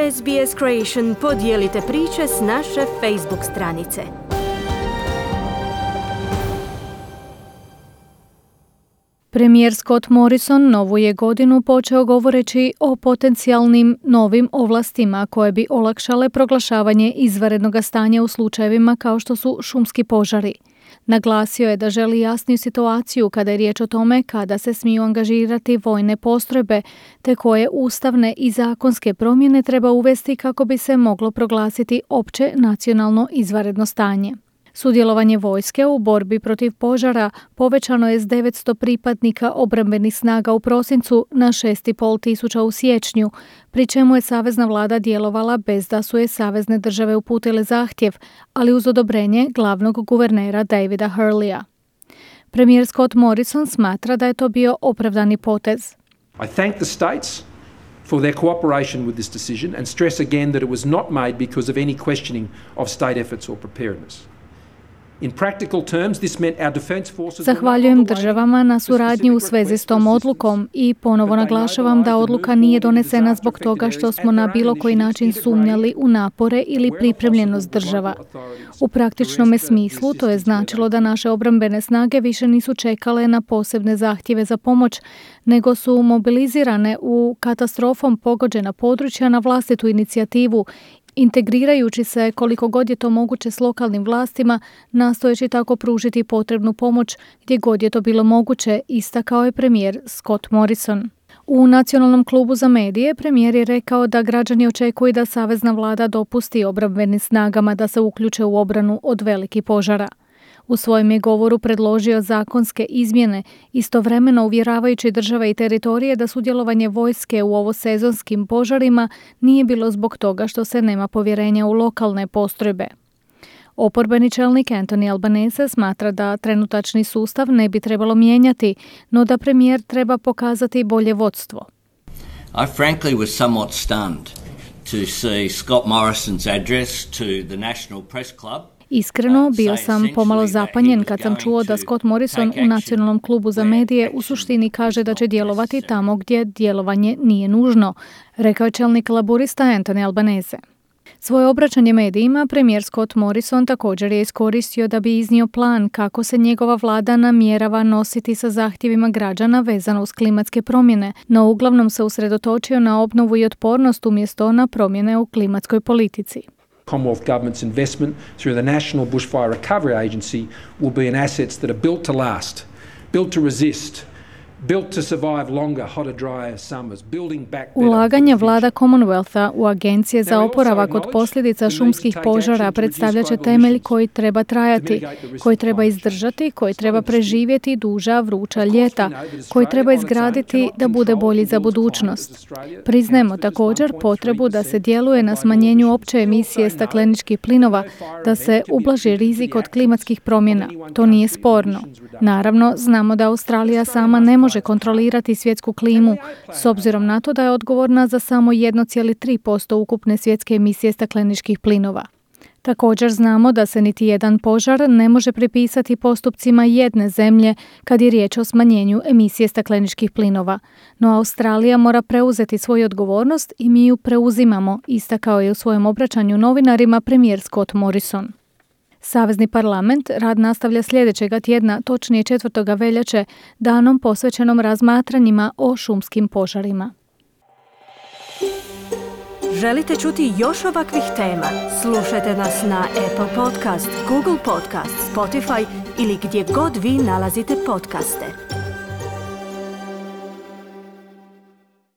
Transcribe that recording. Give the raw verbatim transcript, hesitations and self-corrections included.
S B S Creation podijelite priče s naše Facebook stranice. Premijer Scott Morrison novu je godinu počeo govoreći o potencijalnim novim ovlastima koje bi olakšale proglašavanje izvanrednog stanja u slučajevima kao što su šumski požari. Naglasio je da želi jasniju situaciju kada je riječ o tome kada se smiju angažirati vojne postrojbe, te koje ustavne i zakonske promjene treba uvesti kako bi se moglo proglasiti opće nacionalno izvanredno stanje. Sudjelovanje vojske u borbi protiv požara povećano je s devetsto pripadnika obrambenih snaga u prosincu na šest i pol tisuća u siječnju, pri čemu je savezna vlada djelovala bez da su je savezne države uputile zahtjev, ali uz odobrenje glavnog guvernera Davida Hurleya. Premijer Scott Morrison smatra da je to bio opravdani potez. I thank the states for their cooperation with this decision and stress again that it was not made because of any questioning of state efforts or preparedness. Zahvaljujem državama na suradnji u svezi s tom odlukom i ponovo naglašavam da odluka nije donesena zbog toga što smo na bilo koji način sumnjali u napore ili pripremljenost država. U praktičnom smislu to je značilo da naše obrambene snage više nisu čekale na posebne zahtjeve za pomoć, nego su mobilizirane u katastrofom pogođena područja na vlastitu inicijativu, integrirajući se koliko god je to moguće s lokalnim vlastima, nastojeći tako pružiti potrebnu pomoć gdje god je to bilo moguće, istakao je premijer Scott Morrison. U Nacionalnom klubu za medije premijer je rekao da građani očekuju da savezna vlada dopusti obrambenim snagama da se uključe u obranu od velikih požara. U svojem je govoru predložio zakonske izmjene, istovremeno uvjeravajući države i teritorije da sudjelovanje vojske u ovosezonskim požarima nije bilo zbog toga što se nema povjerenja u lokalne postrojbe. Oporbeni čelnik Anthony Albanese smatra da trenutačni sustav ne bi trebalo mijenjati, no da premijer treba pokazati bolje vodstvo. I frankly was somewhat stunned to see Scott Morrison's address to the National Press Club. Iskreno, bio sam pomalo zapanjen kad sam čuo da Scott Morrison u Nacionalnom klubu za medije u suštini kaže da će djelovati tamo gdje djelovanje nije nužno, rekao je čelnik laburista Anthony Albanese. Svoje obraćanje medijima premijer Scott Morrison također je iskoristio da bi iznio plan kako se njegova vlada namjerava nositi sa zahtjevima građana vezano uz klimatske promjene, no uglavnom se usredotočio na obnovu i otpornost umjesto na promjene u klimatskoj politici. Commonwealth Government's investment through the National Bushfire Recovery Agency will be in assets that are built to last, built to resist, built to survive longer, hotter, drier summers, building back better. Ulaganje vlada Commonwealtha u agencije za oporavak od posljedica šumskih požara predstavlja će temelj koji treba trajati, koji treba izdržati, koji treba preživjeti duža vruća ljeta, koji treba izgraditi da bude bolji za budućnost. Priznajemo također potrebu da se djeluje na smanjenju opće emisije stakleničkih plinova, da se ublaži rizik od klimatskih promjena. To nije sporno. Naravno, znamo da Australija sama ne može može kontrolirati svjetsku klimu, s obzirom na to da je odgovorna za samo jedan zarez tri posto ukupne svjetske emisije stakleničkih plinova. Također znamo da se niti jedan požar ne može pripisati postupcima jedne zemlje kad je riječ o smanjenju emisije stakleničkih plinova. No Australija mora preuzeti svoju odgovornost i mi ju preuzimamo, istakao je u svojem obraćanju novinarima premijer Scott Morrison. Savezni parlament rad nastavlja sljedećega tjedna, točnije četvrtog veljače, danom posvećenom razmatranjima o šumskim požarima. Želite čuti još ovakvih tema? Slušajte nas na Apple Podcast, Google Podcast, Spotify ili gdje god vi nalazite podcaste.